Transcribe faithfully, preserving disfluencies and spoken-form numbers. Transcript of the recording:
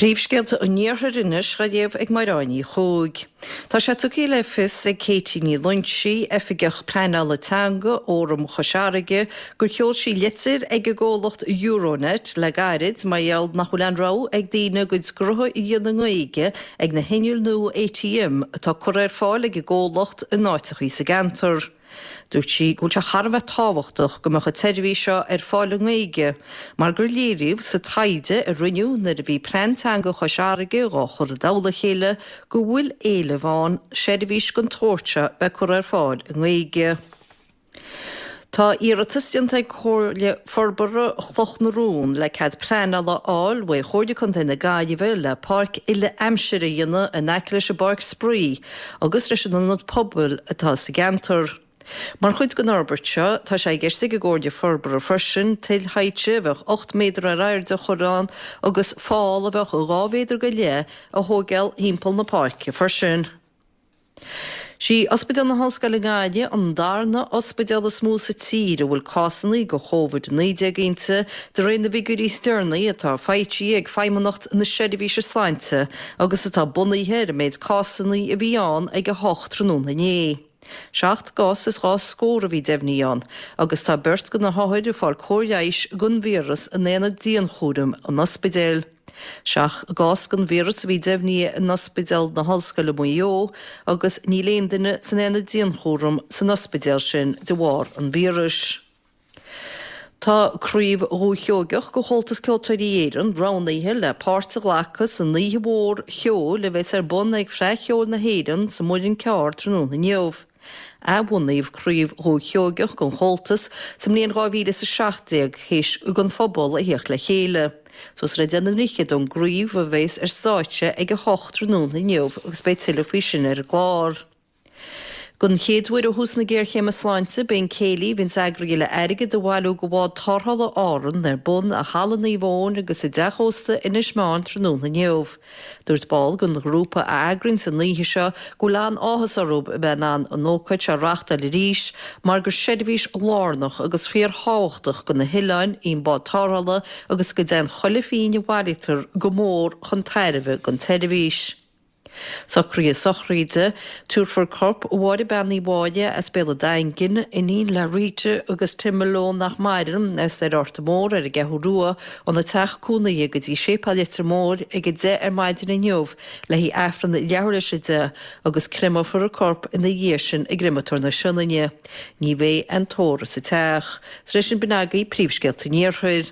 Príomhscéalta an Iarthair anois á léamh ag Máire Ní Chuaig. Tá sé tugtha le fios ag Katie Ní Loingsigh, oifigeach pleanála teanga Fhóram Chois Fharraige, gur sheol sí litir ag an gcomhlacht Euronet le gairid mar gheall nach bhfuil aon rogha ag daoine a gcuid gnótha a dhéanamh i nGaeilge ag na hinnill nua ATM atá curtha ar fáil ag an gcomhlacht in áiteachaí sa gceantar. Dúirt sí go bhfuil sé thar a bheith tábhachtach go mbeadh an tseirbhís seo ar fáil i nGaeilge, mar gur léiríodh sa taighde a rinneadh nuair a bhí plean teanga Chois Fharraige dhá chur i dtoll a chéile go bhfuil éileamh ann seirbhís den tsórt seo bheith curtha ar fáil i nGaeilge. Tá iarratas déanta ag Comhairle Forbartha Chloch na Rón le cead pleanála a fháil uaidh Chomhairle Contae na Gaillimhe le páirc uile-aimsire a dhéanamh in aice leis an bpáirc spraoi agus leis an ionad pobail atá sa gceantar. Mar chuid den fhorbairt seo, tá sé i gceist ag an gComhairle Forbartha freisin tuill shaidhte a bheadh ocht méadar ar airde a chur ann agus fál a bheadh dhá mhéadar go leith a thógáil thimpeall na páirce freisin. Sí Ospidéal na hOllscoile Gaillimh an darna ospidéal is mó sa tír a bhfuil cásanna de Covid naoi déag inti, de réir na bhfigiúirí is deireanaí atá foilsithe ag Feidhmeannacht na Seirbhíse Sláinte agus atá bunaithe ar an méid cásanna a bhí ann ag a hocht tráthnóna inné. Seacht gcás is dhá scór a bhí deimhnithe ann agus tá beirt de na hothair ag fáil cóir leighis don víreas in aonad dianchúraim an ospidéil. Seacht gcás den víreas a bhí deimhnithe in Ospidéal na hOllscoile Maigh Eo agus níl aon duine san aonad dianchúraim san ospidéal sin de bharr an víris. Tá Craobh Dhúiche Sheoigeach de Chomhaltas Ceoltóirí Éireann roghnaithe le páirt a ghlacadh san oíche mhór cheoil a bheas ar bun ag Fleadh Cheoil na hÉireann sa Mhuileann Cearr tráthnóna inniu. Athbhunaíodh Craobh Dhúiche Sheoigeach den Chomhaltas sa mbliain dhá mhíle is a seacht déag théis don phobal a theacht le chéile. Suas ar a deich na ndroichead don gcraobh a bheas ar stáitse ag a hocht tráthnóna inniu agus beidh tuilleadh faoi sin ar an gclár. Don chéad uair ó thús na géarchéime sláinte, beidh an céilí a bhíonns eagraithe le airgead a bhailiú do bhád tarrthála Árann ar bun i Halla Naomh Eoin agus i dteach ósta Inis Meáin tráthnóna inniu. Dúirt ball den ghrúpa a eagraíonns an oíche seo go bhfuil an-áthas orthu a bheith in ann an ócáid seo a reáchtáil arís mar gur seirbhís lárnach agus fíorthábhachtach do na hoileáin í an bád tarrthála agus go dtéann chuile phingin a bhailítear go mór chun tairbhe don tseirbhís. Socruithe sochraide, Tabharfar corp Mháire Bean Uí Mháille as Béal an Daingin, iníon le Rita agus Tim Malone nach maireann, as Doire Fhorta Mór ar an gCeathrú Rua, óna teach cónaithe go dtí Séipéal Leitir Móir ag a deich ar maidin inniu le haghaidh Aifreann leathuair tar éis a deich agus créamófar a corp ina dhiaidh sin i gCreamatóir na Sionainne. Ní bheidh aon tórramh sa teach. Tar éis sin b'in agaibh príomhscéalta an Iarthair.